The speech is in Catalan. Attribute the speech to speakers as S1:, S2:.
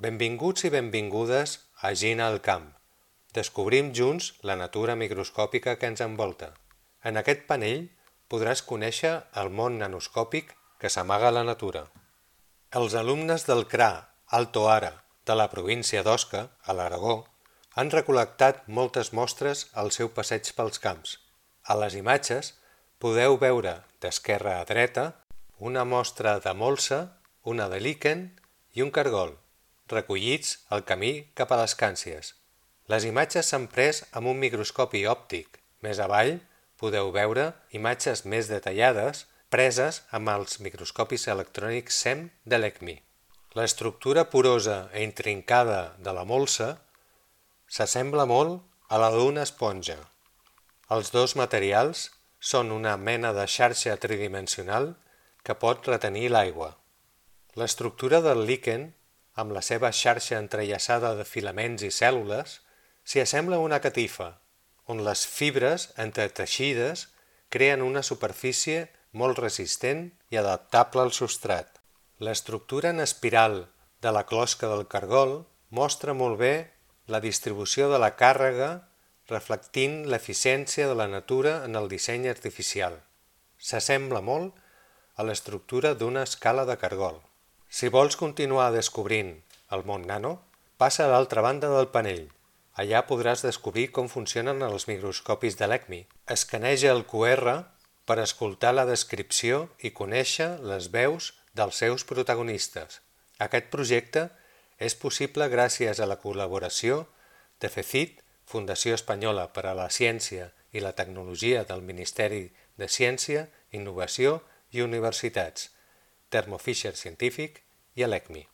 S1: Benvinguts i benvingudes a Gina al camp. Descobrim junts la natura microscòpica que ens envolta. En aquest panell podràs conèixer el món nanoscòpic que s'amaga a la natura. Els alumnes del CRA Alto Ara de la província d'Osca, a l'Aragó, han recol·lectat moltes mostres al seu passeig pels camps. A les imatges podeu veure d'esquerra a dreta una mostra de molsa, una de líquen i un cargol, recollits al camí cap a les Càncies. Les imatges s'han pres amb un microscopi òptic. Més avall podeu veure imatges més detallades preses amb els microscopis electrònics SEM de l'ECMI. L'estructura porosa i intrincada de la molsa s'assembla molt a la d'una esponja. Els dos materials són una mena de xarxa tridimensional que pot retenir l'aigua. L'estructura del líquen, amb la seva xarxa entrellaçada de filaments i cèl·lules, s'hi assembla a una catifa, on les fibres entreteixides creen una superfície molt resistent i adaptable al substrat. L'estructura en espiral de la closca del cargol mostra molt bé la distribució de la càrrega reflectint l'eficiència de la natura en el disseny artificial. S'assembla molt a l'estructura d'una escala de cargol. Si vols continuar descobrint el món nano, passa a l'altra banda del panell. Allà podràs descobrir com funcionen els microscopis de l'ECMI. Escaneja el QR per escoltar la descripció i conèixer les veus dels seus protagonistes. Aquest projecte és possible gràcies a la col·laboració de FECIT, Fundació Espanyola per a la Ciència i la Tecnologia del Ministeri de Ciència, Innovació i Universitats, Thermo Fisher Científic i l'ECMI.